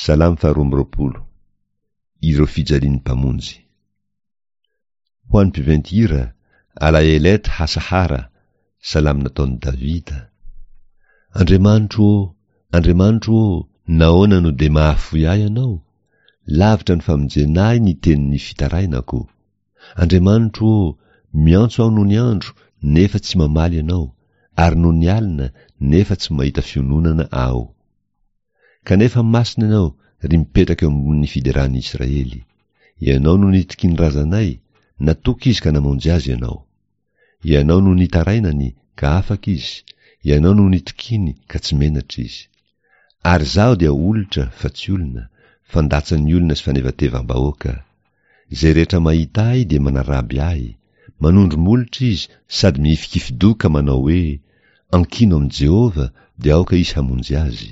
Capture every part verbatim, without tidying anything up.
Salamo faharoa amby roapolo. Ireo fijalian'ny Mpamonjy. Ho an'ny mpiventy hira, Alaelet Hasahara, salamo nataon'i Davida. Andriamanitro ô, Andriamanitro ô, nahoana no dia mahafoy ahy Ianao? Lavitra ny famonjena ahy ny tenin'ny fitarainako. Andriamanitro ô, miantso aho nony andro, nefa tsy mamaly Ianao, ary nony alina, nefa tsy mahita fiononana aho. Kanefa masina Ianao, ry mipetraka eo ambonin'ny fideran'ny Israely. Ianao no nitokian'ny razanay, natoky izy ka namonjy azy Ianao. Ianao no nitarainany, ka afaka izy, Ianao no nitokiany, ka tsy menatra izy. Ary izaho dia olitra, fa tsy olona, fandatsan'ny olona sy fanevatevam-bahoaka. Izay rehetra mahita ahy dia manaraby ahy, manondro molotra izy sady mihifikifi-doha ka manao hoe, Ankino amin'i Jehovah, dia aoka izy hamonjy azy.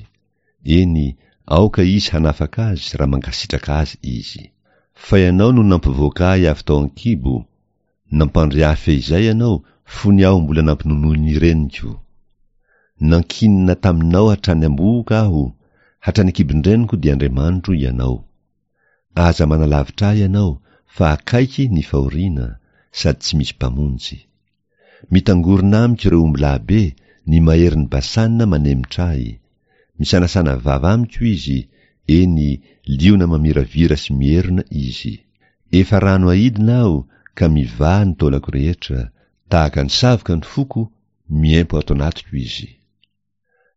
Eny, aoka izy hanafaka azy raha mankasitraka azy izy. Fa ianao no nampivoaka ahy avy tao an-kibo, nampandry ahy feizay ianao fony aho mbola nampinonoin'ny reniko. Nankinina taminao hatrany am-bohoka aho, hatrany an-kibon-dreniko dia Andriamanitro ianao. Aza manalavitra ahy ianao, fa akaiky ny fahoriana, sady tsy misy mpamonjy. Mitangorona amiko ireo ombilahy be, ny maherin'i Basana manemitra ahy. Misanasana vava amiko izy, eny, liona mamiravira sy mierona izy. Efa rano aidina aho, ka mivaha ny taolako rehetra, tahaka ny savoka ny foko, miempo ato anatiko izy.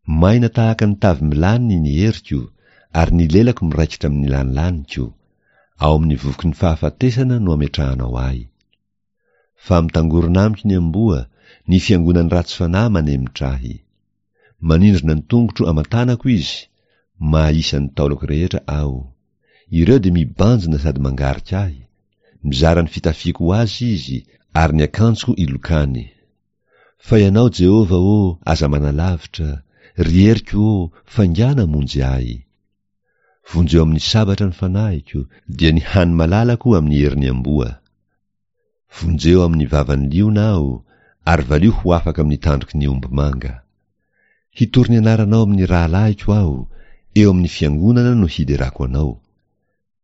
Maina tahaka ny tavy milany ny heriko, ary ny lelako miraikitra amin'ny lanilaniko. Ao amin'ny vovoky ny fahafatesana no ametrahanao ahy. Fa mitangorona amiko ny amboa, ny fiangonan'ny ratsy fanahy manemitra ahy. Manindrona ny tongotro aman-tanako izy, mahaisa ny taolako rehetra aho. Ireo dia mibanjina sady mangarika ahy, mizara ny fitafiako ho azy izy, ary ny akanjoko ilokany. Fa ianao, Jehovah ô, aza manalavitra, ry heriko ô, faingàna hamonjy ahy. Vonjeo amin'ny sabatra ny fanahiko, dia ny hany malalako amin'ny herin'ny amboa. Vonjeo amin'ny vavan'ny liona aho, ary valio ho afaka amin'ny tandroky ny ombimanga. Hitory ny anaranao amin'ny rahalahiko aho, eo amin'ny fiangonana no hiderako anao.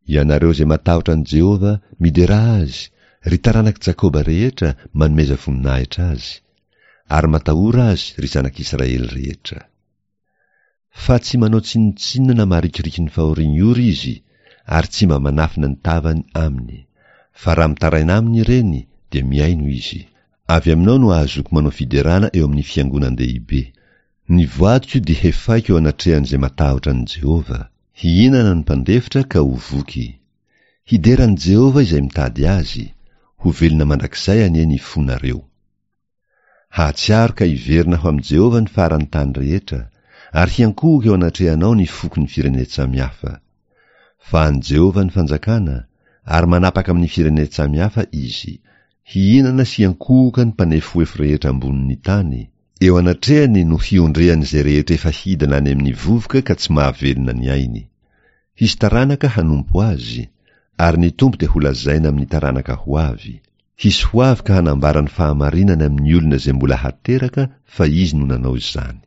Ianareo izay matahotra an'i Jehovah, miderà azy, ry taranak'i Jakoba rehetra, manomeza voninahitra azy. Ary matahora azy, ry zanak'Israely rehetra. Fa tsy manao tsinontsinona na marikoriko ny fahorian'ny ory izy, ary tsy mba manafina ny tavany aminy. Fa raha mitaraina aminy ireny, dia mihaino izy. Avy aminao no ahazoako manao fiderana eo amin'ny fiangonan-dehibe. Ny voadiko dia hefaiko eo anatrehan'izay matahotra an'i Jehovah. Hihinana ny mpandefitra ka ho voky. Hidera an'i Jehovah izay mitady azy, ho velona mandrakizay anie ny fonareo. Hahatsiaro ka hiverina ho amin'i Jehovah ny faran'ny tany rehetra, ary hiankohoka eo anatrehanao ny fokon'ny firenen-tsamihafa. Fa an'i Jehovah ny fanjakana, ary manapaka amin'ny firenen-tsamihafa izy. Hihinana sy hiankohoka ny mpanefoefo rehetra ambonin'ny tany, eo anatrehany no hiondrehan'izay rehetra efa hidina any amin'ny vovoka ka tsy mahavelona ny ainy. Hisy taranaka hanompo azy, ary ny Tompo dia holazaina amin'ny taranaka ho avy. Hisy ho avy ka hanambara ny fahamarinany amin'ny olona izay mbola hateraka fa izy no nanao izany.